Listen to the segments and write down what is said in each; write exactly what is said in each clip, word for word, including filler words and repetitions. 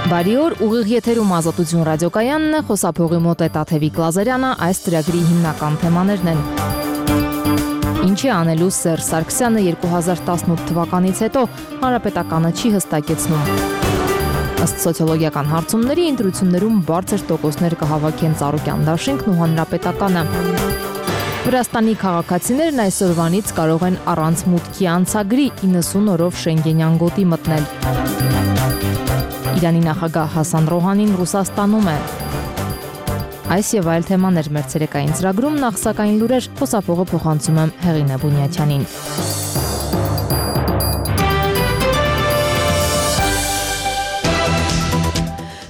Բարի օր, ուղիղ եթերում Ազատություն ռադիոկայանն է, խոսափողի մոտ է Տաթևիկ Լազարյանը, այս ծրագրի հիմնական թեմաներն են. Ինչ է անելու Սերժ Սարգսյանը երկու հազար տասնութ թվականից հետո, հանրապետականը չի հստակեցնում. Ըստ սոցիոլոգիական հարցումների ընտրություններում բարձր տոկոսներ կհավաքեն Ծառուկյան դաշինքն ու հանրապետականը. Վրաստանի քաղաքացիներն այսօրվանից կարող են առանց մուտքի անցագրի իննսուն օրով Շենգենյան գոտի մտնել. Իրանի նախագահ Հասան Ռոհանին Ռուսաստանում է. Այս եւ այլ թեմաներ մեր ցերեկային ծրագրում, նախ սակայն լուրեր, խոսափողը փոխանցում եմ Հեղինե Բունյաթյանին.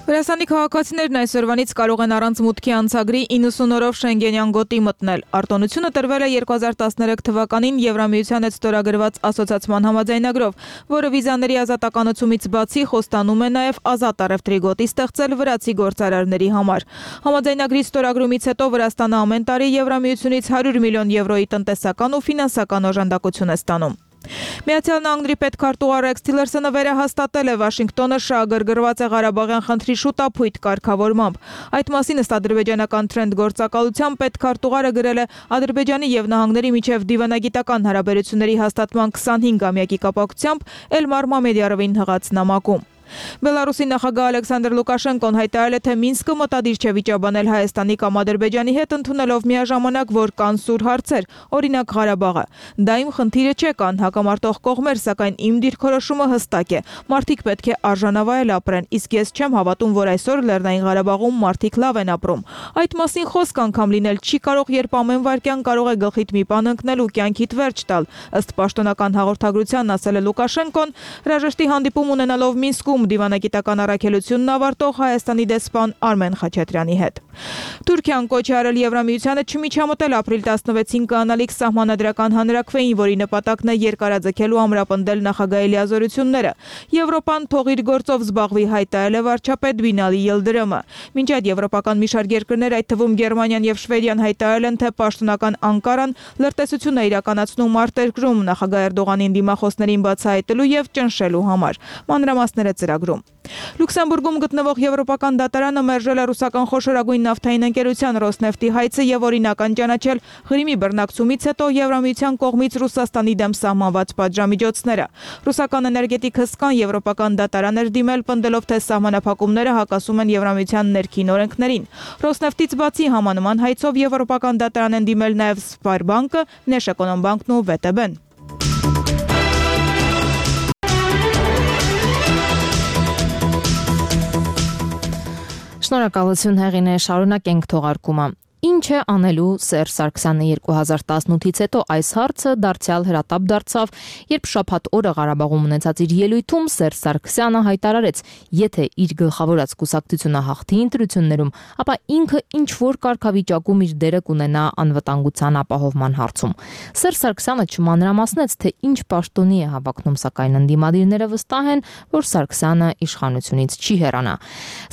Վրաստանի քաղաքացիներն այսօրվանից կարող են առանց մուտքի անցագրի իննսուն օրով Շենգենյան գոտի մտնել. Արտոնությունը տրվել է երկու հազար տասներեք թվականին Եվրամիության հետ ստորագրված ասոցիացման համաձայնագրով, որը վիզաների ազատականացումից բացի խոստանում է նաև ազատ առևտրի գոտի ստեղծել վրացի գործարարների համար. Համաձայնագրի ստորագրումից հետո Վրաստանը ամեն տարի Եվրամիությունից հարյուր միլիոն եվրոյի տնտեսական ու ֆինանսական օժանդակություն է ստանում. Միացյալ Նահանգների պետքարտուղար Ռեքս Թիլերսոնը վերահաստատել է Վաշինգտոնը շահագրգռված է Ղարաբաղյան խնդրի շուտափույթ կարգավորմամբ. Այդ մասին ըստ ադրբեջանական Թրենդ գործակալության պետքարտուղարը գրել է Ադրբեջանի եւ նահանգների միջև դիվանագիտական հարաբերությունների հաստատման քսանհինգամյակի կապակցությամբ Էլմար Մամեդյարովին հղած նամակում. Բելարուսի նախագահ Ալեքսանդր Լուկաշենկոն հայտարարել է, թե Մինսկը մտադիր չէ վիճաբանել Հայաստանի կամ Ադրբեջանի հետ ընդունելով միաժամանակ, որ կան սուր հարցեր, օրինակ Ղարաբաղը. Դա իմ խնդիրը չէ, կան հակամարտող կողմեր, սակայն իմ դիրքորոշումը հստակ է. Մարդիկ պետք է արժանավայել ապրեն, իսկ ես չեմ հավատում, որ այսօր Լեռնային Ղարաբաղում մարդիկ լավ են ապրում. Այդ մասին խոսք անգամ լինել չի կարող, երբ ամեն վայրկյան կարող է գլխիդ մի բան ընկնել ու կյանքիդ վերջ տալ. Ըստ պաշտոնական հաղորդագրության ասել է Լուկաշենկոն, հրաժեշտի հանդիպում ունենալով Մինսկում դիվանագիտական առաքելությունն ավարտող Հայաստանի դեսպան Արմեն Խաչատրյանի հետ. Թուրքիան կոչ է արել Եվրամիությանը չմիջամտել ապրիլ տասնվեցին կանալիք սահմանադրական հանրաքվեին, որի նպատակն է երկարաձգելու ամրապնդել նախագահի լիազորությունները. Եվրոպան թող իր գործով զբաղվի, հայտարարել է վարչապետ Բինալի Յիլդրյոմը. Մինչ այդ եվրոպական մի շարք երկրներ, այդ թվում Գերմանիան եւ Շվեդիան հայտարարել են, թե պաշտոնական Անկարան լրտեսություն է իրականացնում արտերկրում նախագահ Էրդողանին դիմախոսներին բացահայտելու եւ ճնշելու համար. Մանրամասները ծրագրում. Լյուքսեմբուրգում գտնվող եվրոպական դատարանը մերժել է ռուսական խոշորագույն նավթային ընկերության Ռոսնեֆտի հայցը եւ օրինական ճանաչել Ղրիմի բռնակցումից հետո Եվրամիության կողմից Ռուսաստանի դեմ սահմանված պատժամիջոցները. Ռուսական էներգետիկ հսկան եվրոպական դատարան էր դիմել, պնդելով, թե սահմանափակումները հակասում են Եվրամիության ներքին օրենքներին. Ռոսնեֆտից բացի համանման հայցով եվրոպական դատարան են դիմել նաեւ Սպարբանկը, Նեշէկոնոմբանկն ու վե տե բեն. Շնորհակալություն Հեղինե, շարունակենք թողարկումը. Ինչ է անելու Սերժ Սարգսյանը երկու հազար տասնութից հետո այս հարցը դարձյալ հրատապ դարձավ, երբ շաբաթ օրը Ղարաբաղում ունեցած իր ելույթում Սերժ Սարգսյանը հայտարարեց, եթե իր գլխավորած կուսակցությունը հաղթի ընտրություններում, ապա ինքը ինչ որ կարգավիճակում իր դերը կունենա անվտանգության ապահովման հարցում. Սերժ Սարգսյանը չմանրամասնեց, թե ինչ պաշտոնի է հավակնում, սակայն ընդդիմադիրները վստահ են, որ Սարգսյանը իշխանությունից չի հեռանա.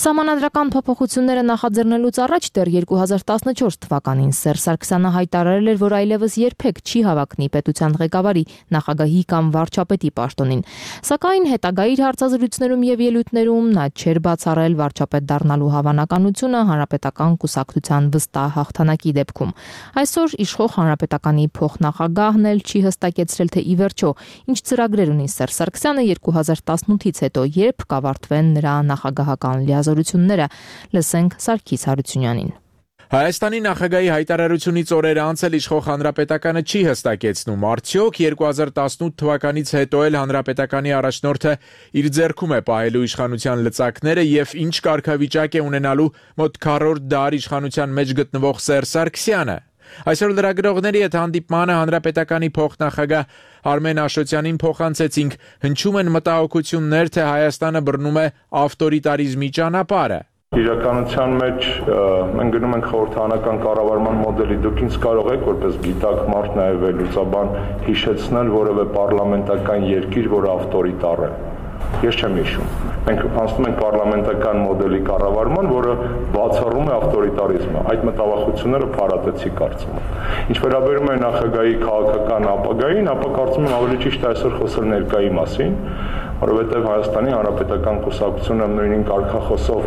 Սահմանադրական փոփոխությունները նախաձեռնելուց առաջ դեռ երկու հազար տասնչորս թվականին Սերժ Սարգսյանը հայտարարել էր, որ այլևս երբեք չի հավակնի պետության ղեկավարի, նախագահի կամ վարչապետի պաշտոնին. Սակայն հետագա իր հարցազրույցներում եւ ելույթներում նա չէր բացառել վարչապետ դառնալու հավանականությունը հանրապետական կուսակցության վստահ հաղթանակի դեպքում. Այսօր իշխող հանրապետականի փոխնախագահն էլ չի հստակեցրել, թե ի վերջո ինչ ծրագրեր ունի Սերժ Սարգսյանը երկու հազար տասնութից հետո, երբ կավարտվեն նրա նախագահական լիազորությունները. Լսենք Սարգիս Հարությունյանին. Հայաստանի նախագահի հայտարարությունից օրեր անց էլ իշխող հանրապետականը չի հստակեցնում, արդյոք երկու հազար տասնութ թվականից հետո էլ հանրապետականի առաջնորդը իր ձեռքում է պահելու իշխանության լծակները եւ ինչ կարգավիճակ է ունենալու մոտ քառորդ դար իշխանության մեջ գտնվող Սերժ Սարգսյանը. Այսօր լրագրողների հետ հանդիպմանը հանրապետականի փոխնախագահ Արմեն Աշոտյանին փոխանցեցինք, հնչում են մտահոգություններ, թե Հայաստանը բռնում է ավտորիտարիզմի ճանապարհը. Իրականության մեջ մենք գնում ենք խորհրդանական կառավարման մոդելի. Դուք ինձ կարող եք որպես գիտակ մարդ նաև վերլուծաբան հիշեցնել որևէ պարլամենտական երկիր, որը ավտորիտար է. Ես չեմ հիշում. Մենք անցնում ենք պարլամենտական մոդելի կառավարման, որը բացառում է ավտորիտարիզմը։ Այդ մտավախությունները փարատեցի կարծում եմ։ Ինչ վերաբերում է նախագահի քաղաքական ապագային, ապա կարծում եմ ավելի ճիշտ է այսօր խոսել ներկայի մասին, որովհետև Հայաստանի Հանրապետական կուսակցությունը նույնին կարգախոսով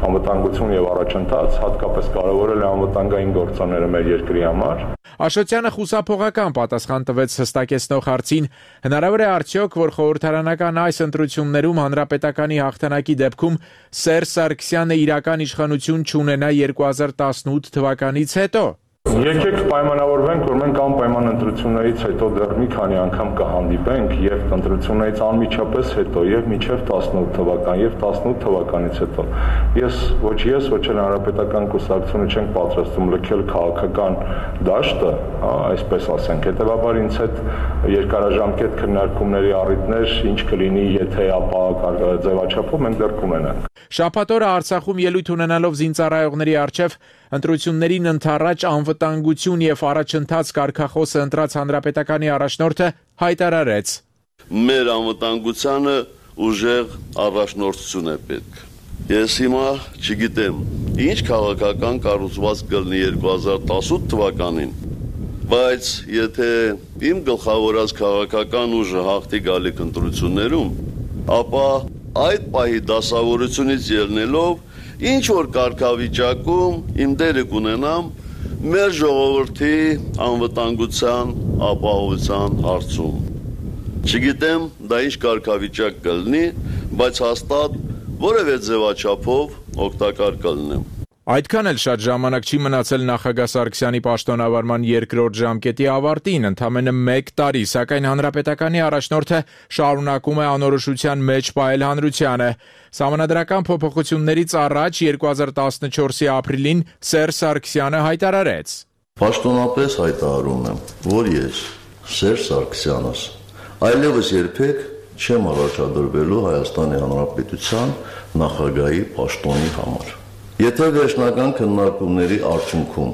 անվտանգություն եւ առաջընթաց հատկապես կարևորել է անվտանգային գործոնները մեր երկրի համար։ Աշոտյանը խուսափողական պատասխան տվեց հստակեցնող հարցին, հնարավոր է արդյոք, որ խորհրդարանական այս ընտրություններում հանրապետականի հաղթանակի դեպքում Սերժ Սարգսյանը իրական իշխանություն չունենա երկու հազար տասնութ թվականից հետո։ Եկեք պայմանավորվենք, որ մենք անպայման ընտրություններից հետո դեռ մի քանի անգամ կհանդիպենք եւ ընտրություններից անմիջապես հետո եւ մինչեւ տասնութ թվական եւ տասնութ թվականից հետո։ Ես ոչ ես, ոչ էլ հանրապետական կուսակցությունը չենք պատրաստում լքել քաղաքական դաշտը, հա, այսպես ասենք։ Հետևաբար ինձ հետ երկարաժամկետ քննարկումների առիթներ ինչ կլինի, եթե ապա ձևաչափով մենք դեռ կունենանք։ Շաբաթ օրը Արցախում ելույթ ունենալով զինծառայողների առջև ընտրություններին ընդառաջ անվտանգություն եւ առաջընթաց կարգախոսը ընտրած հանրապետականի առաջնորդը հայտարարեց. Մեր անվտանգությանը ուժեղ առաջնորդություն է պետք։ Ես հիմա չգիտեմ, ինչ քաղաքական կառուցվածք կլինի երկու հազար տասնութ թվականին, բայց եթե իմ գլխավորած քաղաքական ուժը հաղթի գալիք ընտրություններում, ապա այդ պահի դասավորությունից ելնելով ինչ որ կարգավիճակում իմ դերը կունենամ մեր ժողովրդի անվտանգության ապահովության հարցում։ Չգիտեմ դա ինչ կարգավիճակ կլինի, բայց հաստատ որևէ ձևաչափով օգտակար կլինեմ։ Այդքան էլ շատ ժամանակ չի մնացել նախագահ Սարգսյանի պաշտոնավարման երկրորդ ժամկետի ավարտին, ընդամենը մեկ տարի, սակայն հանրապետականի առաջնորդը շարունակում է անորոշության մեջ պահել հանրությանը։ Սահմանադրական փոփոխություններից առաջ երկու հազար տասնչորսի ապրիլին Սերժ Սարգսյանը հայտարարեց. Պաշտոնապես հայտարարում եմ, որ ես Սերժ Սարգսյանս այլևս երբեք չեմ առաջադրվելու Հայաստանի Հանրապետության նախագահի պաշտոնի համար։ Եթե վերջնական քննարկումների արդյունքում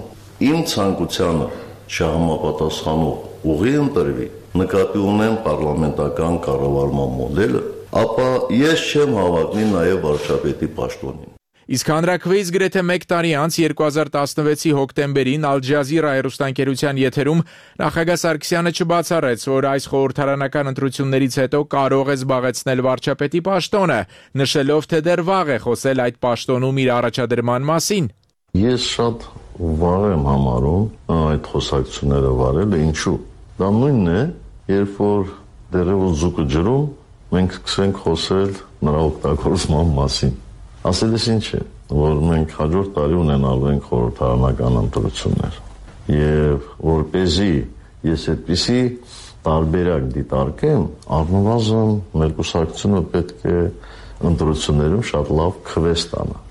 իմ ցանկությանը չհամապատասխանող ուղի ընտրվի, նկատի ունեմ պարլամենտական կառավարման մոդելը, ապա ես չեմ հավակնի նաև վարչապետի պաշտոնին։ Իսկ հանրաքվեից գրեթե մեկ տարի անց երկու հազար տասնվեցի հոկտեմբերին Ալ Ջազիրա հեռուստաընկերության եթերում նախագահ Սարգսյանը չբացառեց, որ այս խորհրդարանական ընտրություններից հետո կարող է զբաղեցնել վարչապետի պաշտոնը, նշելով, թե դեռ վաղ է խոսել այդ պաշտոնում իր առաջադրման մասին։ Ես շատ վաղ եմ համարում այդ խոսակցությունները վարելը, ինչու։ Դա նույնն է, երբ որ դեռևս ձուկը ջրում, մենք սկսենք խոսել նրա օգտագործման մասին։ Ասելիս ինչ է, որ մենք հաջորդ տարի ունենալու ենք խորհրդարանական ընտրություններ եւ որպեսզի ես այդպիսի տարբերակ դիտարկեմ, առնվազն մեր կուսակցությունը պետք է ընտրություններում շատ լավ քվես տանա։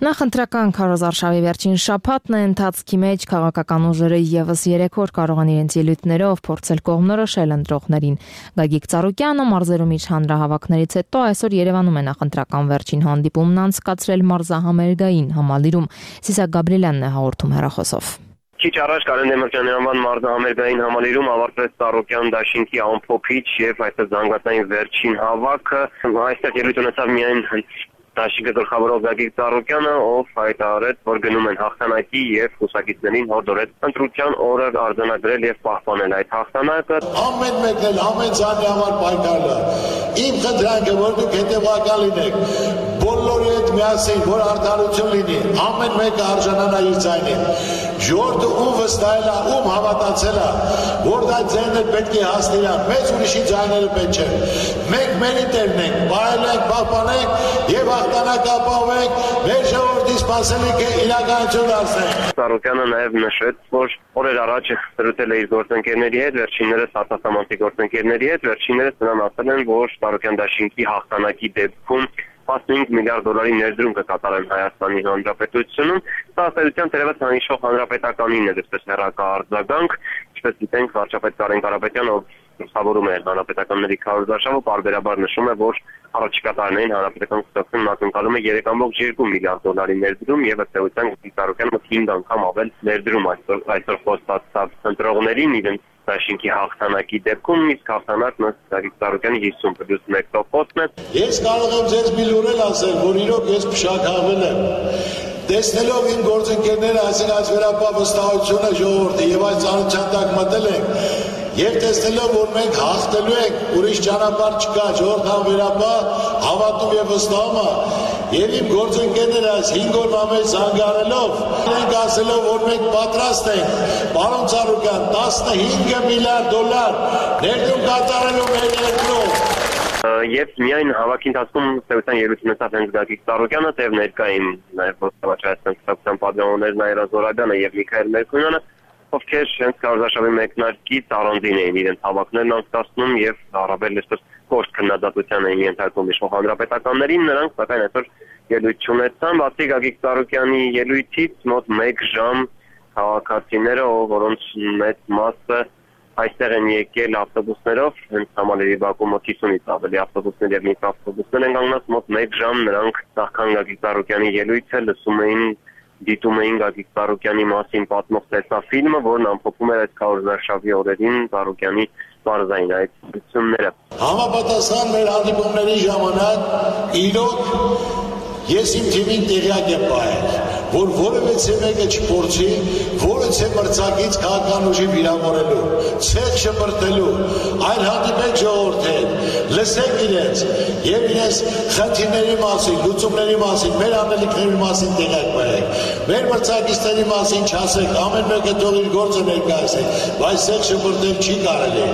Նախընտրական քարոզարշավի վերջին շաբաթն է, ընթացքի մեջ քաղաքական ուժերը եւս երեք օր կարող են իրենց ելույթներով փորձել կողմնորոշել ընտրողներին։ Գագիկ Ծառուկյանը մարզերում իր հանրահավաքներից հետո այսօր Երևանում է նախընտրական վերջին հանդիպումն անցկացրել մարզահամերգային համալիրում։ Սիսակ Գաբրիելյանն է հաղորդում հեռախոսով։ Քիչ առաջ Կարեն Դեմիրճյանի անվան մարզահամերգային համալիրում ավարտվեց Ծառուկյան դաշինքի ամփոփիչ եւ այսպես զանգվածային վերջին հավաքը։ Այստեղ ելույթ ունեցավ միայն Դաշինքը գլխավորող Գագիկ Ծառուկյանը, ով հայտարարեց, որ գնում են հաղթանակի եւ կուսակիցներին հորդորեց ընտրության օրը արձանագրել եւ պահպանել այդ հաղթանակը։ Ամեն մեկն էլ ամեն ցանի համար պայքարը։ Իմ խնդրանքը, որ դուք հետեւական լինեք, բոլորի հետ միասին, որ արդարություն լինի, ամեն մեկը արժանանա իր ձայնին։ Ժողովուրդը ում վստահել է, ում հավատացել է, որ դա ձայնը պետք է հասնի, մեծ ուրիշի ձայները պետք չեն։ Մենք մերի տերն ենք, բարելենք, պահպանենք եւ հաղթանակ ապահովենք, մեր ժողովրդի սպասելիքը իրականություն դարձնենք։ Ծառուկյանը նաև նշեց, որ օրեր առաջ զրուցել է իր գործընկերների հետ, վերջիններս արտասահմանցի գործընկերների հետ, վերջիններս նրան ասել են, որ Ծառուկյան դաշինքի հաղթանակի դեպքում տասնհինգ միլիարդ դոլարի ներդրում կկատարեն Հայաստանի Հանրապետությունում։ Սա ըստ թերևս անհիշող հանրապետականին է դեպս հեռակա արձագանք, ինչպես գիտենք, վարչապետ Կարեն Կարապետյանը, ով գլխավորում է հանրապետականների քարոզարշավը, պարբերաբար նշում է, որ առաջիկա տարիներին հանրապետական կուսակցությունն ակնկալում է երեք կόμma երկու միլիարդ դոլարի ներդրում եւ ըստ էության Ծառուկյանը հինգ անգամ ավել ներդրում այսօր այսօր խոստացած ընտրողներին իրենց դաշինքի հաղթանակի դեպքում, իսկ հաղթանակն ըստ Գագիկ Ծառուկյանի հիսուն պլյուս մեկ տոկոսն է։ Ես կարող եմ ձեզ մի լուրել ասել, որ իրոք ես փշաքաղվել եմ։ Տեսնելով իմ գործընկերները, այսինքն այս վերապահ վստահությունը ժողովրդի եւ այս ծանոթության տակ մտել ենք, եւ տեսնելով, որ մենք հաղթելու ենք, ուրիշ ճանապարհ չկա, ժողովրդան վերապահ հավատում եւ վստահում է, եւ իմ գործընկերները այս հինգ օրվա մեջ զանգարելով, մենք ասելով, որ մենք պատրաստ ենք, պարոն Ծառուկյան, տասնհինգ միլիարդ դոլար ներդրում կատարելու մեր երկրում։ Եվ միայն հավաքի ընթացքում ստեղծան ելույթ ունեցավ հենց Գագիկ Ծառուկյանը, թեև ներկային նաև ոստիկանության կուսակցության պատգամավորներ Նաիրա Զորաբյանը եւ Միքայել Մերկունյանը, ովքեր հենց քարոզարշավի մեկնարկից առանձին էին իրենց հավաքներն անցկացնում եւ առավել այսպես կոշտ քննադատության էին ենթարկում իշխող հանրապետականներին, նրանք սակայն այսօր ելույթ չունեցան, բացի Գագիկ Ծառուկյանի ելույթից մոտ մեկ ժամ քաղաքացիները, որոնց մեծ մասը այստեղ են եկել ավտոբուսներով, հենց Համալիրի Բաքու մոտ հիսունից ավելի ավտոբուսներ եւ միկրոավտոբուսներ են կանգնած, մոտ մեկ ժամ նրանք նախքան Գագիկ Ծառուկյանի ելույթը լսում էին, դիտում էին Գագիկ Ծառուկյանի մասին պատմող տեսաֆիլմը, որն ամփոփում էր այդ քարոզարշավի օրերին Ծառուկյանի բարձային այդ ցույցները։ Համապատասխան մեր հանդիպումների ժամանակ իրոք ես իմ թիմին տեղյակ եմ պահել, որ որևէ մեկը չփորձի որևէ մրցակից քաղաքական ուժի վիրավորելու, ցեղ շպրտելու, այլ հանդիպեք ժողովրդի հետ, լսեք իրենց եւ իրենց խնդիրների մասին, լուծումների մասին, մեր անելիքների մասին տեղյակ պահեք։ Մեր մրցակիցների մասին չասեք, ամեն մեկը թող իր գործը ներկայացնի, բայց ցեղ շպրտել չի կարելի։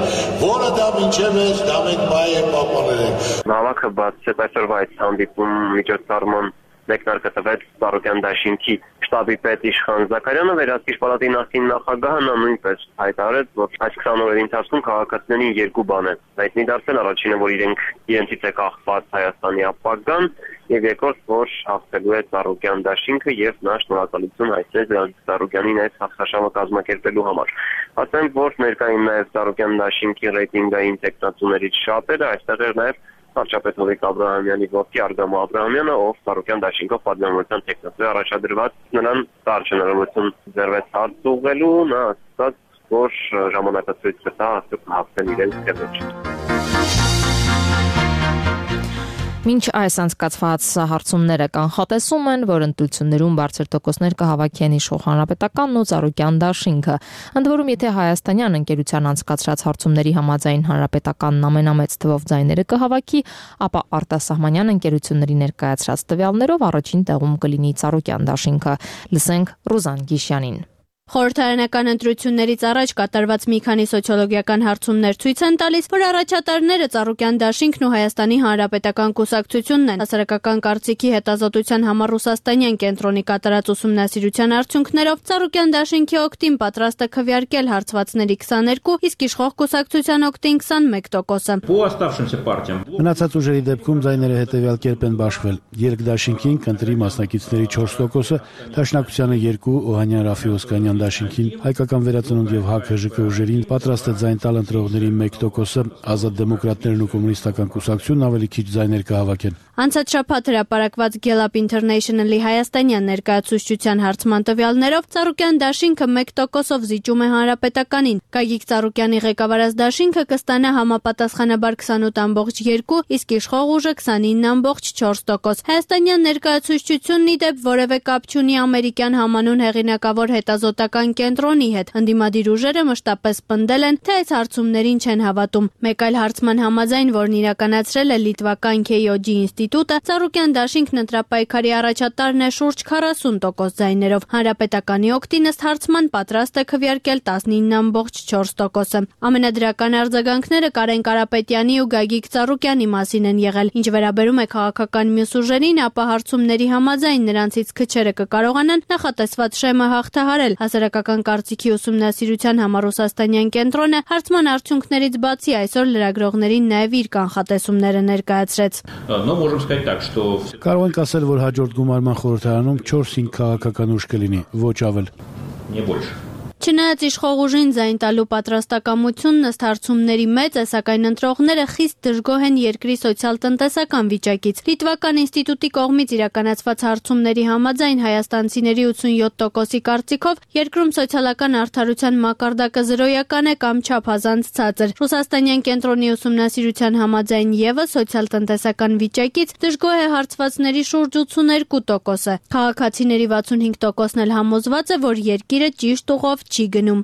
Որը դա մինչև է, դա մենք բայ ենք պահպանել ենք։ Նավակը բացեց այսօրվա այս հանդիպում միջոցառման մեկնարկը տվեց Ծառուկյան դաշինքի շտաբի պետ Իշխան Զաքարյանը, Վերահսկիչ պալատի նախկին նախագահը նա նույնպես հայտարարեց, որ այս քսան օրերի ընթացքում քաղաքացիներին երկու բան է հայտնի դարձել, առաջինը, որ իրենք իրենցից է կախված Հայաստանի ապագան, եւ երկրորդ, որ հաղթելու է Ծառուկյան դաշինքը եւ նա շնորհակալություն հայտնեց Գագիկ Ծառուկյանին այս հաղթաշավը կազմակերպելու համար։ Ասեմ, որ ներկային նաեւ Ծառուկյան դաշինքի ռեյտինգային տեխնացուներից շատերը, այստեղ էր նաեւ վարչապետ Հովիկ Աբրահամյանի որդի Արգամո Աբրահամյանը, ով Ծառուկյան դաշինքով պատգամավորության տեխնացու է առաջադրված, նրան տարջ հնարավորություն ձեռվեց հարց ուղղելու, նա ասաց, որ ժամանակը ցույց կտա արդյոք հաղթել իրենց թե ոչ։ Մինչ այս անցկացված հարցումները կանխատեսում են, որ ընտրություններում բարձր տոկոսներ կհավաքեն իշխող հանրապետականն ու Ծառուկյան դաշինքը։ Ընդ որում, եթե հայաստանյան ընկերության անցկացրած հարցումների համաձայն հանրապետականն ամենամեծ թվով ձայները կհավաքի, ապա արտասահմանյան ընկերությունների ներկայացրած տվյալներով առաջին տեղում կլինի Ծառուկյան դաշինքը։ Լսենք Ռուզան Գիշյանին։ Խորհրդարանական ընտրություններից առաջ կատարված մի քանի սոցիոլոգիական հարցումներ ցույց են տալիս, որ առաջատարները Ծառուկյան դաշինքն ու Հայաստանի Հանրապետական կուսակցությունն են։ Հասարակական կարծիքի հետազոտության համար Ռուսաստանյան կենտրոնի կատարած ուսումնասիրության արդյունքներով Ծառուկյան դաշինքի օգտին պատրաստ է քվեարկել հարցվածների քսաներկու, իսկ իշխող կուսակցության օգտին քսանմեկ տոկոսը։ Մնացած ուժերի դեպքում ձայները հետևյալ կերպ են բաշխվել։ Երկ դաշինքին կընտրի մասնակիցների չորս տոկոսը, Դաշնակցությանը երկու, Օհանյան Ռաֆի Օսկանյան դաշինքին, Հայկական վերածնունդ եւ ՀԱԿ ՀԺԿ ուժերին պատրաստ է ձայն տալ ընտրողների մեկ տոկոսը, Ազատ դեմոկրատներն ու կոմունիստական կուսակցությունն ավելի քիչ ձայներ կհավաքեն։ Անցած շաբաթ հրապարակված Gallup International-ի հայաստանյան ներկայացուցչության հարցման տվյալներով Ծառուկյան դաշինքը մեկ տոկոսով զիջում է հանրապետականին։ Գագիկ Ծառուկյանի ղեկավարած դաշինքը կստանա համապատասխանաբար քսանութ ամբողջ երկու, իսկ իշխող ուժը քսանինը ամբողջ չորս տոկոս։ Հայաստանյան ներկայացուցչությունն ի դեպ որևէ կապ չունի ամերիկյան համանուն հեղինակավոր հետազոտական կենտրոնի հետ։ Ընդդիմադիր ուժերը մշտապես պնդել են, թե այս հարցումներին չեն հավատում։ Մեկ այլ հարցման համաձայն, որն իրականացրել է լիտվական K O G ինստիտուտը, Ծառուկյան դաշինքն ընտրապայքարի առաջատարն է շուրջ քառասուն տոկոս ձայներով։ Հանրապետականի օգտին ըստ հարցման պատրաստ է քվեարկել տասնինը ամբողջ չորս տոկոսը։ Ամենադրական արձագանքները Կարեն Կարապետյանի ու Գագիկ Ծառուկյանի մասին են եղել։ Ինչ վերաբերում է քաղաքական մյուս ուժերին, ապա հարցումների համաձայն նրանցից քչերը կկարողանան նախատեսված շեմը հաղթահարել։ Հասարակական կարծիքի ուսումնասիրության համար Ռուսաստանյան կենտրոնը հարցման արդյունքներից բացի այսօր լրագրողներին նաև իր կանխատեսումները ներկայացրեց։ Կարող ենք ասել, որ հաջորդ գումարման խորհրդարանում չորս-հինգ քաղաքական ուժ կլինի, ոչ ավել։ Չնայած իշխող ուժին ձայն տալու պատրաստակամությունն ըստ հարցումների մեծ է, սակայն ընտրողները խիստ դժգոհ են երկրի սոցիալ-տնտեսական վիճակից։ Լիտվական ինստիտուտի կողմից իրականացված հարցումների համաձայն հայաստանցիների ութսունյոթ տոկոսի կարծիքով երկրում սոցիալական արդարության մակարդակը զրոյական է կամ չափազանց ցածր։ Ռուսաստանյան կենտրոնի ուսումնասիրության համաձայն ևս սոցիալ-տնտեսական վիճակից դժգոհ է հարցվածների շուրջ ութսուներկու տոկոսը։ Քաղաքացիների վաթսունհինգ տոկոսն էլ համոզված է, որ երկիրը ճիշտ ուղով չի գնում։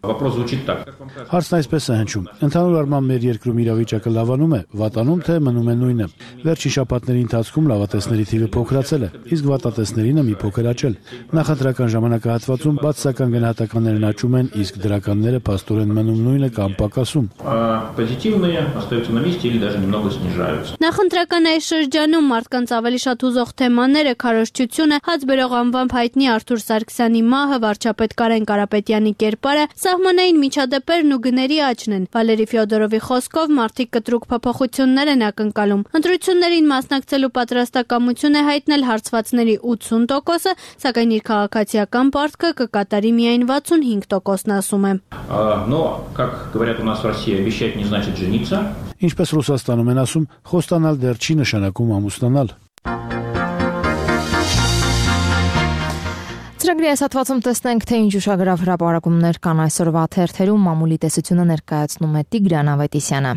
Հարցն այսպես է հնչում. ընդհանուր առմամբ մեր երկրում իրավիճակը լավանում է, վատանում թե մնում է նույնը։ Վերջին շաբաթների ընթացքում լավատեսների թիվը փոքրացել է, իսկ վատատեսներինը մի փոքր աճել։ Նախընտրական ժամանակահատվածում բացասական գնահատականներն աճում են, իսկ դրականները փաստորեն մնում նույնը կամ պակասում։ Նախընտրական այս շրջանում մարդկանց ավելի շատ հուզող թեմաները քարոզչությունը, հաց բերող անվամբ հայտնի Արթուր Սարգսյանի մահը, վարչապետ Կարեն Կարապետյանի կերպարը, սահմանային միջադեպերն ու գների աճն են։ Վալերի Ֆյոդորովի խոսքով մարդիկ կտրուկ փոփոխություններ են ակնկալում։ Ընտրություններին մասնակցելու պատրաստակամություն է հայտնել հարցվածների ութսուն տոկոսը, սակայն իր քաղաքացիական պարտքը կկատարի միայն վաթսունհինգ տոկոսն ասում է։ Ինչպես Ռուսաստանում են ասում, խոստանալ դեռ չի նշանակում ամուսնանալ։ Ծրագրի այս հատվածում տեսնենք, թե ինչ ուշագրավ հրապարակումներ կան այսօրվա թերթերում, մամուլի տեսությունը ներկայացնում է Տիգրան Ավետիսյանը։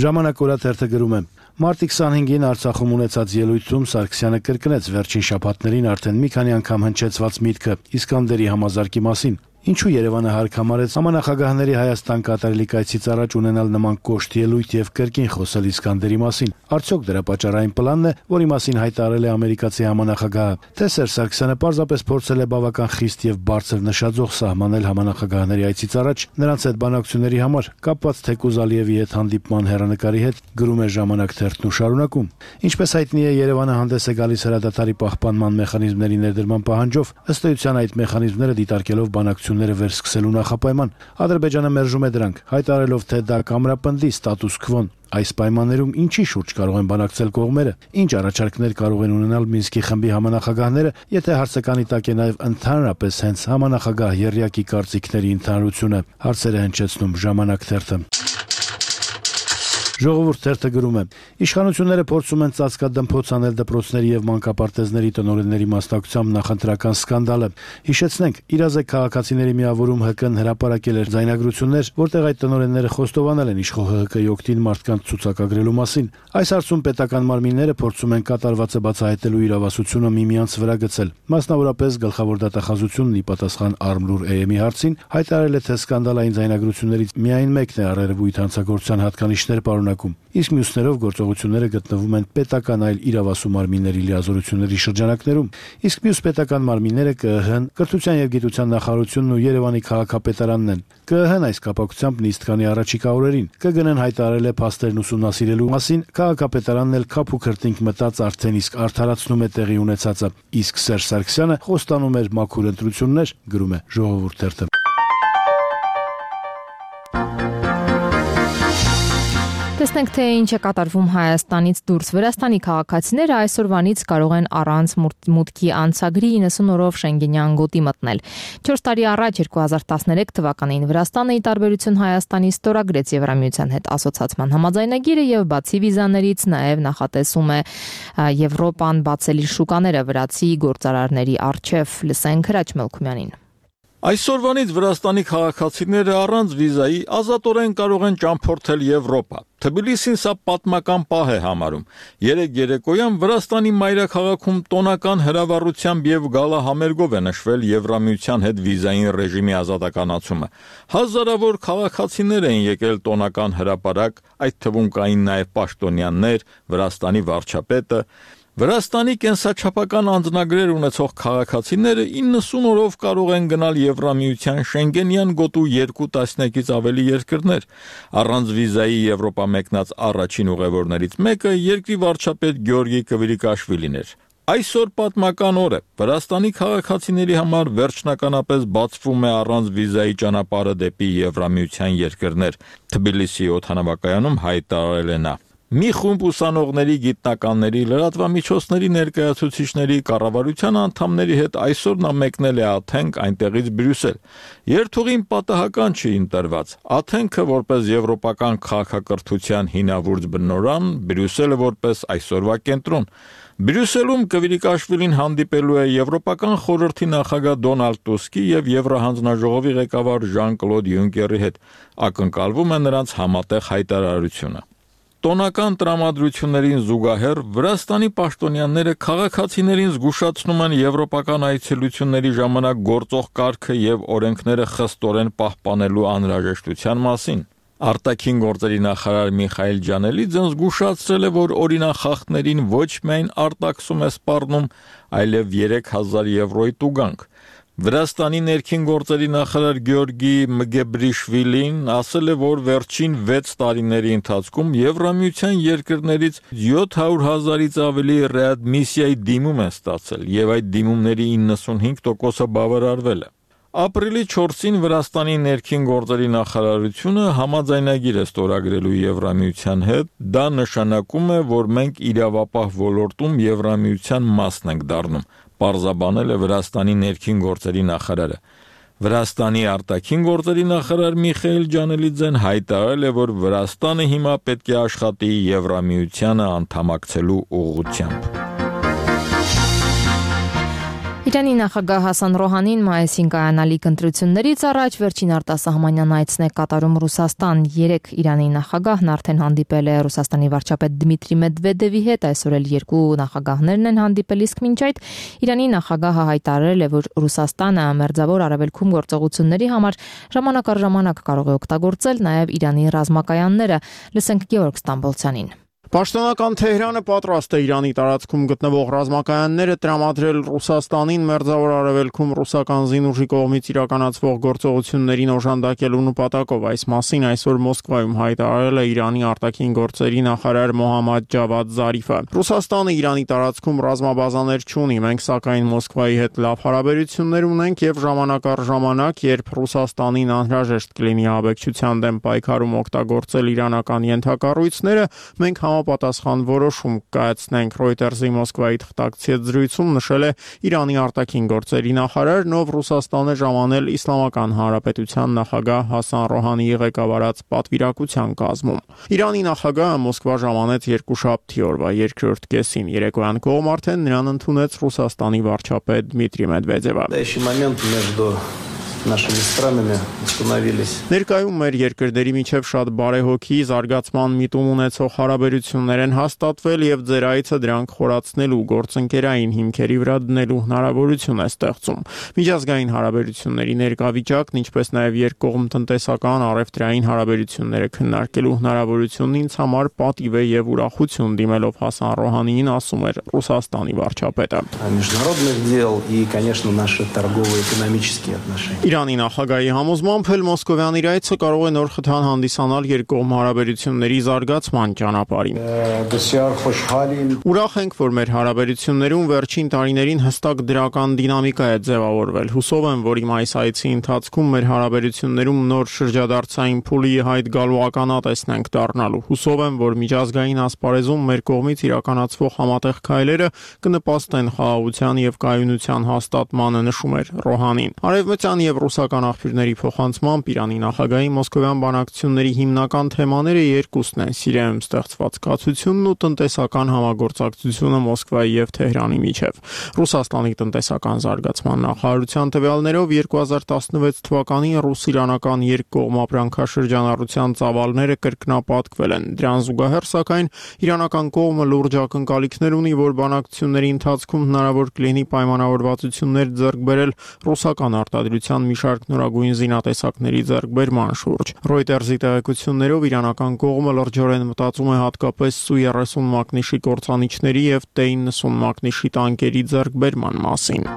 Ժամանակ օրաթերթը գրում է. Մարտի քսանհինգին Արցախում ունեցած ելույթում Սարգսյանը կրկնեց վերջին շաբաթներին արդեն մի քանի անգամ հնչեցված միտքը Իսկանդերի համազարկի մասին։ Ինչու Երևանը հարկ համարեց համանախագահների Հայաստան կատարելիք այցից առաջ ունենալ նման կոշտ ելույթ եւ կրկին խոսել Իսկանդերի մասին։ Արդյոք դրա պատճառային պլանն է, որի մասին հայտարարել է ամերիկացի համանախագահը, թե Սերժ Սարգսյանը պարզապես փորձել է բավական խիստ եւ բարձր նշաձող սահմանել համանախագահների այցից առաջ նրանց հետ բանակցությունների համար, կապված թեկուզ Ալիևի հետ հանդիպման հեռանկարի հետ, գրում է Ժամանակ թերթն ու շարունակում։ Ինչպես հայտնի է, Երևանը հանդես է գալիս հրադադարի պահպանման մեխանիզմների ներդրման պահանջով, ըստ էության այդ մեխանիզմները դիտարկելով բանակցությունները վերսկսելու նախապայման։ Ադրբեջանը մերժում է դրանք, հայտարարելով, թե դա կամրապնդի ստատուս քվոն։ Այս պայմաններում ինչի շուրջ կարող են բանակցել կողմերը, ինչ առաջարկներ կարող են ունենալ Մինսկի խմբի համանախագահները, եթե հարցականի տակ է նաև ընդհանրապես հենց համանախագահ եռյակի կարծիքների ընդհանրությունը, հարցերը հնչեցնում Ժամանակ թերթը։ Ժողովուրդ թերթը գրում է. իշխանությունները փորձում են ծածկադմփոց անել դպրոցների եւ մանկապարտեզների տնօրենների մասնակցությամբ նախընտրական սկանդալը։ Հիշեցնենք, իրազեկ քաղաքացիների միավորում ՀԿ-ն հրապարակել էր ձայնագրություններ, որտեղ այդ տնօրենները խոստովանել են իշխող ՀՀԿ-ի օգտին մարդկանց ցուցակագրելու մասին։ Այս հարցում պետական մարմինները փորձում են կատարվածը բացահայտելու իրավասությունը միմյանց վրա գցել։ Մասնավորապես գլխավոր դատախազությունն ի պատասխան Արմլուր Էեմի հարցին հայտարարել է, թե սկանդալային ձայնագրություններից միայն մեկն է առերևույթ հանցագործության հատկանիշներ պարունակում, իսկ մյուսներով գործողությունները գտնվում են պետական այլ իրավասու մարմինների լիազորությունների շրջանակներում, իսկ մյուս պետական մարմինները ԿԸՀ-ն, Կրթության եւ Գիտության նախարարությունն ու Երևանի քաղաքապետարանն են։ ԿԸՀ-ն այս կապակցությամբ նիստ կանի առաջիկա օրերին, ԿԳՆ-ն հայտարարել է փաստերն ուսումնասիրելու մասին, քաղաքապետարանն էլ քափ ու քրտինք մտած արդեն իսկ արդարացնում է տեղի ունեցածը, իսկ Սերժ Սարգսյանը խոստանում էր մաքուր ընտրություններ, գրում է Ժողովուրդ թերթը։ Տեսնենք, թե ինչ է կատարվում Հայաստանից դուրս։ Վրաստանի քաղաքացիները այսօրվանից կարող են առանց մուտքի անցագրի իննսուն օրով Շենգենյան գոտի մտնել։ չորս տարի առաջ երկու հազար տասներեք թվականին Վրաստանը ի տարբերություն Հայաստանի ստորագրեց Եվրամիության հետ ասոցացման համաձայնագիրը եւ բացի վիզաներից նաեւ նախատեսում է Եվրոպան բացել իր շուկաները վրացի գործարարների առջև։ Լսենք Հրաչ Մելքումյանին։ Այսօրվանից Վրաստանի քաղաքացիները առանց վիզայի ազատորեն կարող են ճամփորդել Եվրոպա։ Թբիլիսին սա պատմական պահ է համարում։ Երեկ երեկոյան Վրաստանի մայրաքաղաքում տոնական հրավառությամբ եւ գալահամերգով է նշվել Եվրամիության հետ վիզային ռեժիմի ազատականացումը։ Հազարավոր քաղաքացիներ են եկել տոնական հրապարակ, այդ թվում կային նաեւ պաշտոնյաներ, Վրաստանի վարչապետը։ Վրաստանի կենսաչափական անձնագրեր ունեցող քաղաքացիները իննսուն օրով կարող են գնալ Եվրամիության Շենգենյան գոտու երկու տասնյակից ավելի երկրներ։ Առանց վիզայի Եվրոպա մեկնած առաջին ուղևորներից մեկը երկրի վարչապետ Գյորգի Կվիրիկաշվիլին էր։ Այսօր պատմական օր է։ Վրաստանի քաղաքացիների համար վերջնականապես բացվում է առանց վիզայի ճանապարհը դեպի Եվրամիության երկրներ։ Թբիլիսի օդանավակայանում հայտարարել է նա. Մի խումբ ուսանողների, գիտնականների, լրատվամիջոցների ներկայացուցիչների, կառավարության անդամների հետ այսօր նա մեկնել է Աթենք, այնտեղից Բրյուսել։ Երթուղին պատահական չի ընտրված։ Աթենքը որպես եվրոպական քաղաքակրթության հինավուրց բնօրրան, Բրյուսելը որպես այսօրվա կենտրոն։ Բրյուսելում Կվիրիկաշվիլին հանդիպելու է Եվրոպական խորհրդի նախագահ Դոնալդ Տուսկի եւ Եվրահանձնաժողովի ղեկավար Ժան-Կլոդ Յունկերի հետ։ Ակնկալվում է նրանց համատեղ հայտարարությունը։ Տոնական տրամադրություններին զուգահեռ Վրաստանի պաշտոնյաները քաղաքացիներին զգուշացնում են եվրոպական այցելությունների ժամանակ գործող կարգը եւ օրենքները խստորեն պահպանելու անհրաժեշտության մասին։ Արտաքին գործերի նախարար Միխայել Ջանելիձեն զգուշացրել է, որ օրինախախտներին ոչ միայն արտաքսում է սպառնում, այլև երեք հազար եվրոյի տուգանք։ Վրաստանի ներքին գործերի նախարար Գեորգի Մգեբրիշվիլին ասել է, որ վերջին վեց տարիների ընթացքում Եվրամիության երկրներից յոթ հարյուր հազարից ավելի ռեադմիսիայի դիմում են ստացել, եւ այդ դիմումների իննսունհինգ տոկոսը բավարարվել է։ Ապրիլի չորսին Վրաստանի ներքին գործերի նախարարությունը համաձայնագիր է ստորագրելու Եվրամիության հետ, դա նշանակում է, որ մենք իրավապահ ոլորտում Եվրամիության մասն ենք դառնում, պարզաբանել է Վրաստանի ներքին գործերի նախարարը։ Վրաստանի արտաքին գործերի նախարար Միխայել Ջանելիձեն հայտարարել է, որ Վրաստանը հիմա պետք է աշխատի Եվրամիությանը անդամակցելու ուղղությամբ։ Իրանի նախագահ Հասան Ռոհանին մայիսին կայանալիք ընտրություններից առաջ վերջին արտասահմանյան այցն է կատարում Ռուսաստան։ Երեք Իրանի նախագահն արդեն հանդիպել է Ռուսաստանի վարչապետ Դմիտրի Մեդվեդևի հետ, այսօր էլ երկու նախագահներն են հանդիպել, իսկ մինչ այդ Իրանի նախագահը հայտարարել է, որ Ռուսաստանը մերձավոր արևելքում գործողությունների համար ժամանակ առ ժամանակ կարող է օգտագործել նաև Իրանի ռազմակայանները։ Լսենք Գեորգ Ստամբոլցյանին։ Պաշտոնական Թեհրանը պատրաստ է Իրանի տարածքում գտնվող ռազմակայանները տրամադրել Ռուսաստանին մերձավոր արևելքում ռուսական զինուժի կողմից իրականացվող գործողություններին օժանդակելու նպատակով։ Այս մասին այսօր Մոսկվայում հայտարարել է Իրանի արտաքին գործերի նախարար Մոհամմադ Ջավադ Զարիֆը։ Ռուսաստանը Իրանի տարածքում ռազմաբազաներ չունի, մենք սակայն Մոսկվայի հետ լավ հարաբերություններ ունենք եւ ժամանակ առ ժամանակ, երբ Ռուսաստանին անհրաժեշտ կլինի աբեկչության դեմ պայքարում օգտագործել իրանական ենթակառույցները, մենք պատասխան որոշում կայացնենք, Reuters-ի Մոսկվայի թղթակցի հետ զրույցում նշել է Իրանի արտաքին գործերի նախարարն, ով Ռուսաստան է ժամանել Իսլամական Հանրապետության նախագահ Հասան Ռոհանիի ղեկավարած պատվիրակության կազմում։ Իրանի նախագահը Մոսկվա ժամանեց երկուշաբթի օրվա երկրորդ կեսին, երեկոյան կողմ արդեն նրան ընդունեց Ռուսաստանի վարչապետ Դմիտրի Մեդվեդևը։ Нашими странами установились. Ներկայում մեր երկրների միջև շատ բարեհոգի զարգացման միտում ունեցող հարաբերություններ են հաստատվել եւ ձեր այցը դրանք խորացնելու գործընկերային հիմքերի վրա դնելու հնարավորություն է ստեղծում։ Միջազգային հարաբերությունների ներկա վիճակն, ինչպես նաեւ երկկողմ տնտեսական առևտրային հարաբերությունները քննարկելու հնարավորությունն ինձ համար պատիվ է եւ ուրախություն, դիմելով Հասան Ռոհանիին ասում էր Ռուսաստանի վարչապետը։ Международных дел и, конечно, наши торгово-экономические отношения. Իրանի նախագահի համոզմամբ էլ մոսկովյան իր այցը կարող է նոր խթան հանդիսանալ երկկողմ հարաբերությունների զարգացման ճանապարհին։ Ուրախ ենք, որ մեր հարաբերություններում վերջին տարիներին հստակ դրական դինամիկա է ձևավորվել։ Հուսով եմ, որ իմ այս այցի ընթացքում մեր հարաբերություններում նոր շրջադարձային փուլի հայտ գալու ականատեսն ենք դառնալու։ Հուսով եմ, որ միջազգային ասպարեզում մեր կողմից իրականացվող համատեղ քայլերը կնպաստեն խաղաղության եւ կայունության հաստատմանը, նշում էր Ռոհանին։ Արևմտյան եւ ռուսական աղբյուրների փոխանցմամբ Իրանի նախագահի մոսկովյան բանակցությունների հիմնական թեմաները երկուսն են՝ Սիրիայում ստեղծված կացությունն ու տնտեսական համագործակցությունը Մոսկվայի եւ Թեհրանի միջև։ Ռուսաստանի տնտեսական զարգացման նախարարության տվյալներով երկու հազար տասնվեց թվականին ռուս-իրանական երկկողմ ապրանքաշրջանառության ծավալները կրկնապատկվել են։ Դրան զուգահեռ, սակայն, իրանական կողմը լուրջ ակնկալիքներ ունի, որ բանակցությունների ընթացքում հնարավոր կլինի պայմանավորվածություններ ձեռք բերել ռուսական արտադրության մի շարք նորագույն զինատեսակների ձեռքբերման շուրջ։ Reuters-ի տեղեկություններով իրանական կողմը լրջորեն մտածում է հատկապես Սու երեսուն մակնիշի կործանիչների եւ Տե իննսուն մակնիշի տանկերի ձեռքբերման մասին։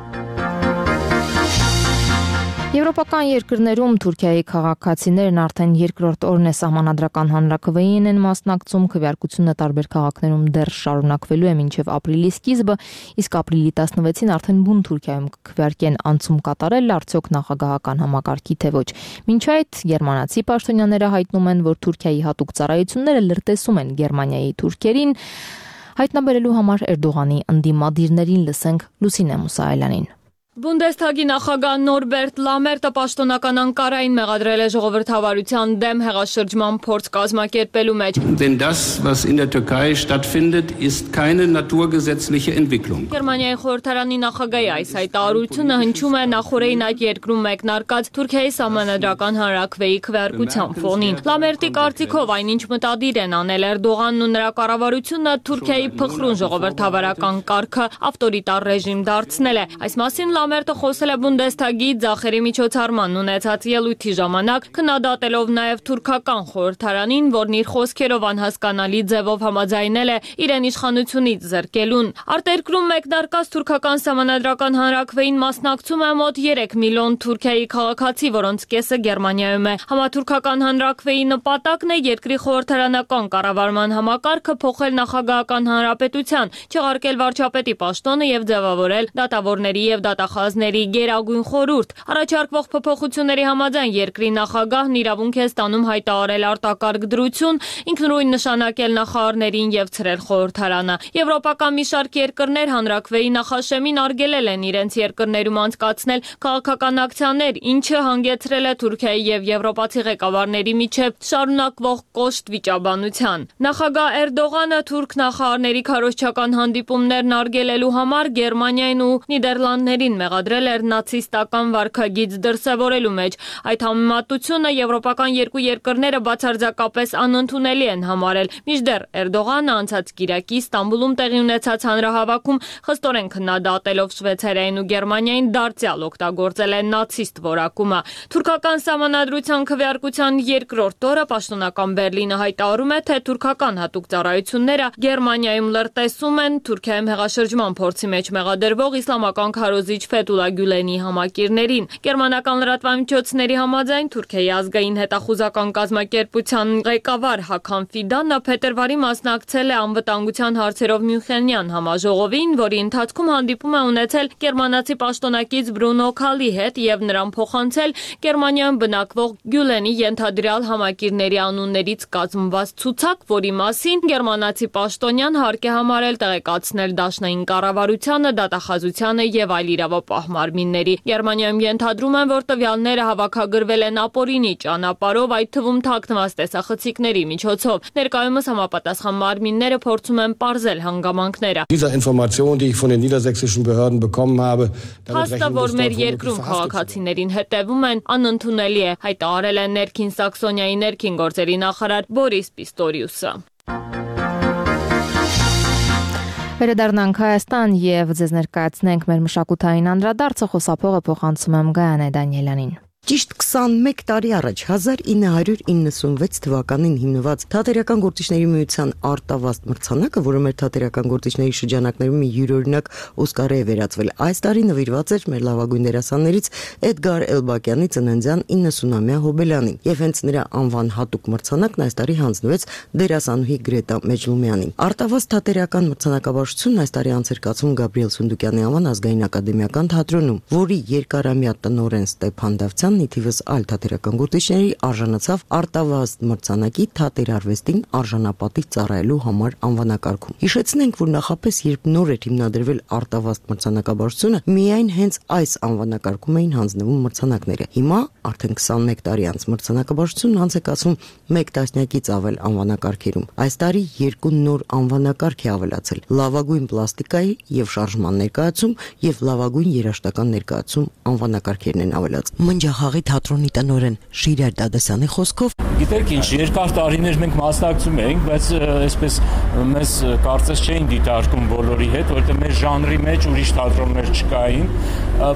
Եվրոպական երկրներում Թուրքիայի քաղաքացիներն արդեն երկրորդ օրն է սահմանադրական հանրաքվեին են մասնակցում, քվեարկությունը տարբեր քաղաքներում դեռ շարունակվելու է մինչև ապրիլի սկիզբը, իսկ ապրիլի տասնվեցին արդեն բուն Թուրքիայում կքվեարկեն անցում կատարել արդյոք նախագահական համակարգի թե ոչ։ Մինչ այդ գերմանացի պաշտոնյաները հայտնում են, որ Թուրքիայի հատուկ ծառայությունները լրտեսում են Գերմանիայի թուրքերին, հայտնաբերելու համար Էրդողանի ընդդիմադիրներին լսենք Լուսինե Մուսայելյանին։ Բունդեսթագի նախագահ Նորբերտ Լամերտը պաշտոնական Անկարային մեղադրել է ժողովրդավարության դեմ հեղաշրջման փորձ կազմակերպելու մեջ։ Denn das, was in der Türkei stattfindet, ist keine naturgesetzliche Entwicklung. Գերմանիայի խորհրդարանի նախագահի այս հայտարարությունը հնչում է նախորդին այդ երկրում մեկնարկած Թուրքիայի սահմանադրական հանրաքվեի քվեարկության ֆոնին։ Լամերտի կարծիքով այնինչ մտադիր են անել Էրդողանն ու նրա կառավարությունը Թուրքիայի փխրուն ժողովրդավարական կարգը ավտորիտար ռեժիմ դարձնել է։ Այս մասին Լամերտը խոսել է Բունդեսթագի ձախերի միջոցառման ունեցած ելույթի ժամանակ, քննադատելով նաև թուրքական խորհրդարանին, որն իր խոսքերով անհասկանալի ձևով համաձայնել է իրեն իշխանությունից զրկելուն։ Արտերկրում մեկնարկած թուրքական սահմանադրական հանրաքվեին մասնակցում է մոտ երեք միլիոն Թուրքիայի քաղաքացի, որոնց կեսը Գերմանիայում է։ Համաթուրքական հանրաքվեի նպատակն է երկրի խորհրդարանական կառավարման համակարգը փոխել նախագահական հանրապետության, չեղարկել վարչապետի պաշտոնը եւ ձևավորել դատավորների եւ դատախազների գերագույն խորհուրդ։ Առաջարկվող փոփոխությունների համաձայն երկրի նախագահն իրավունք է ստանում հայտարարել արտակարգ դրություն, ինքնուրույն նշանակել նախարարներին եւ ցրել խորհրդարանը։ Եվրոպական մի շարք երկրներ հանրաքվեի նախաշեմին արգելել են իրենց երկրներում անցկացնել քաղաքական ակցիաներ, ինչը հանգեցրել է Թուրքիայի եւ եվրոպացի ղեկավարների միջև շարունակվող կոշտ վիճաբանության։ Նախագահ Էրդողանը թուրք նախարարների քարոզչական հանդիպումներն արգելելու համար Գերմանիային ու Նիդերլանդներին մեղադրել էր նացիստական վարքագիծ դրսևորելու մեջ։ Այդ համեմատությունը եվրոպական երկու երկրները բացարձակապես անընդունելի են համարել։ Մինչդեռ Էրդողանը անցած կիրակի Ստամբուլում տեղի ունեցած հանրահավաքում խստորեն քննադատելով Շվեյցարիային ու Գերմանիային դարձյալ օգտագործել է նացիստ որակումը։ Թուրքական սահմանադրության քվեարկության երկրորդ օրը պաշտոնական Բերլինը հայտարարում է, թե թուրքական հատուկ ծառայությունները Գերմանիայում լրտեսում են Թուրքիայում հեղաշրջման փորձի մեջ մեղադրվող իսլամական քարոզիչ Ֆեթուլա Գյուլենի համակիրներին։ Գերմանական լրատվամիջոցների համաձայն Թուրքիայի ազգային հետախուզական կազմակերպության ղեկավար Հաքան Ֆիդանը փետրվարի մասնակցել է անվտանգության հարցերով Մյունխենյան համաժողովին, որի ընթացքում հանդիպում է ունեցել գերմանացի պաշտոնակից Բրունո Քալի հետ եւ նրան փոխանցել Գերմանիայում բնակվող Գյուլենի ենթադրյալ համակիրների անուններից կազմված ցուցակ, որի մասին գերմանացի պաշտոնյան հարկ է համարել տեղեկացնել դաշնային կառավարությանը, դատախազությանը եւ այլ իրավապահ մարմինների։ Գերմանիայում ենթադրում են, որ տվյալները հավաքագրվել են ապօրինի ճանապարհով, այդ թվում թաքնված տեսախցիկների միջոցով։ Ներկայումս համապատասխան մարմինները փորձում են պարզել հանգամանքները։ Diese Information, die ich von den niedersächsischen Behörden bekommen habe, Փաստը, որ մեր երկրում քաղաքացիներին հետևում են, անընդունելի է, հայտարարել է Ներքին Սաքսոնիայի ներքին գործերի նախարար Բորիս Պիստորիուսը։ Վերադառնանք Հայաստան եւ ձեզ ներկայացնենք մեր մշակութային անդրադարձը, խոսափողը փոխանցում եմ Գայանե Դանիելյանին։ Ճիշտ քսանմեկ տարի առաջ հազար ինը հարյուր իննսունվեց թվականին հիմնված Թատերական գործիչների միության արտավազդ մրցանակը, որը մեր թատերական գործիչների շրջանակներում մի յուրօրինակ Օսկարի է վերածվել, այս տարի նվիրված էր մեր լավագույն դերասաններից Էդգար Էլբակյանի ծննդյան իննսունամյա հոբելյանին, եւ հենց նրա անվան հատուկ մրցանակն այս տարի հանձնվեց դերասանուհի Գրետա Մեջլումյանին։ Արտավազդ թատերական մրցանակաբաշխությունն այս տարի անցկացվում Գաբրիել Սունդուկյանի անվան ազգային ակադեմիական թատրոնում, որի երկարամյա տնօրեն Ստեփան Դավթյան նիթիվս այլ թատերական գործիչների արժանացավ արտավազդ մրցանակի թատերարվեստին արժանապատիվ ծառայելու համար անվանակարգում։ Հիշեցնենք, որ նախապես երբ նոր էր հիմնադրվել արտավազդ մրցանակաբաշխությունը, միայն հենց այս անվանակարգում էին հանձնվում մրցանակները։ Հիմա արդեն քսանմեկ տարի անց մրցանակաբաշխությունն անց է կացվում մեկ տասնյակից ավել անվանակարգերում։ Այս տարի երկու նոր անվանակարգ է ավելացել՝ լավագույն պլաստիկայի եւ շարժման ներկայացում եւ լավագույն երաժշտական ներկայացում անվանակարգերն են ավելացել։ խաղի թատրոնի տնօրեն Շիրար Դադասյանի խոսքով Գիտեք ինչ, երկար տարիներ մենք մասնակցում էինք, բայց այսպես մեզ կարծես չէին դիտարկում բոլորի հետ, որովհետեւ մեր ժանրի մեջ ուրիշ թատրոններ չկային,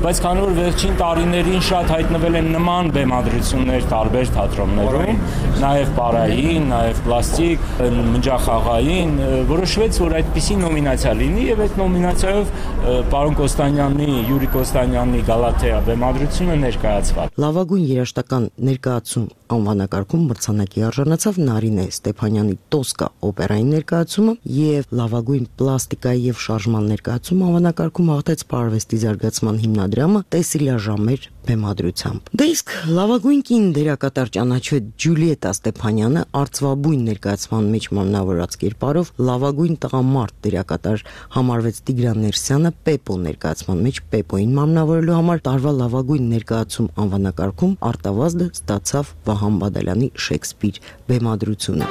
բայց քանի որ վերջին տարիներին շատ հայտնվել են նման բեմադրություններ տարբեր թատրոններում, նաև պարային, նաև պլաստիկ, մնջախաղային, որոշվեց, որ այդպիսի նոմինացիա լինի եւ այդ նոմինացիայով պարոն Կոստանյանի, Յուրի Կոստանյանի Գալաթեա բեմադրությունը ներկայացված։ Լավագույն երաժշտական ներկայացում անվանակարգում մրցանակի արժանացավ Նարինե Ստեփանյանի Տոսկա օպերայի ներկայացումը եւ լավագույն պլաստիկայի եւ շարժման ներկայացում անվանակարգում հաղթեց Պարվեստի զարգացման հիմնադրամը Տեսիլիա Ժամեր բեմադրությամբ։ Դե իսկ լավագույն կին դերակատար ճանաչվեց Ջուլիետա Ստեփանյանը արծվաբույն ներկայացման մեջ մարմնավորած կերպարով, լավագույն տղամարդ դերակատար համարվեց Տիգրան Ներսյանը Պեպո ներկայացման մեջ Պեպոին մարմնավորելու համար տարվա լավագույն ներկայացում անվանակարգում արտավազդը ստացավ Վահան Բադալյանի Շեքսպիր բեմադրությունը։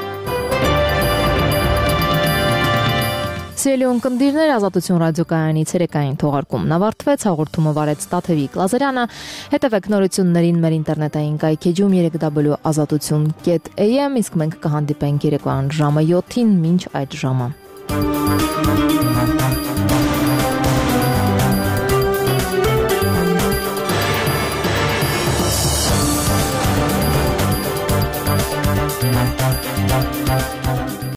Սիրելի ունկնդիրներ, Ազատություն ռադիոկայանի ցերեկային թողարկումն ավարտվեց, հաղորդումը վարեց Տաթևիկ Լազարյանը, հետևեք նորություններին մեր ինտերնետային կայքեջում երեք w ազատություն կետ a m, իսկ մենք կհանդիպենք երեկոյան ժամը յոթին, մինչ այդ ժամը։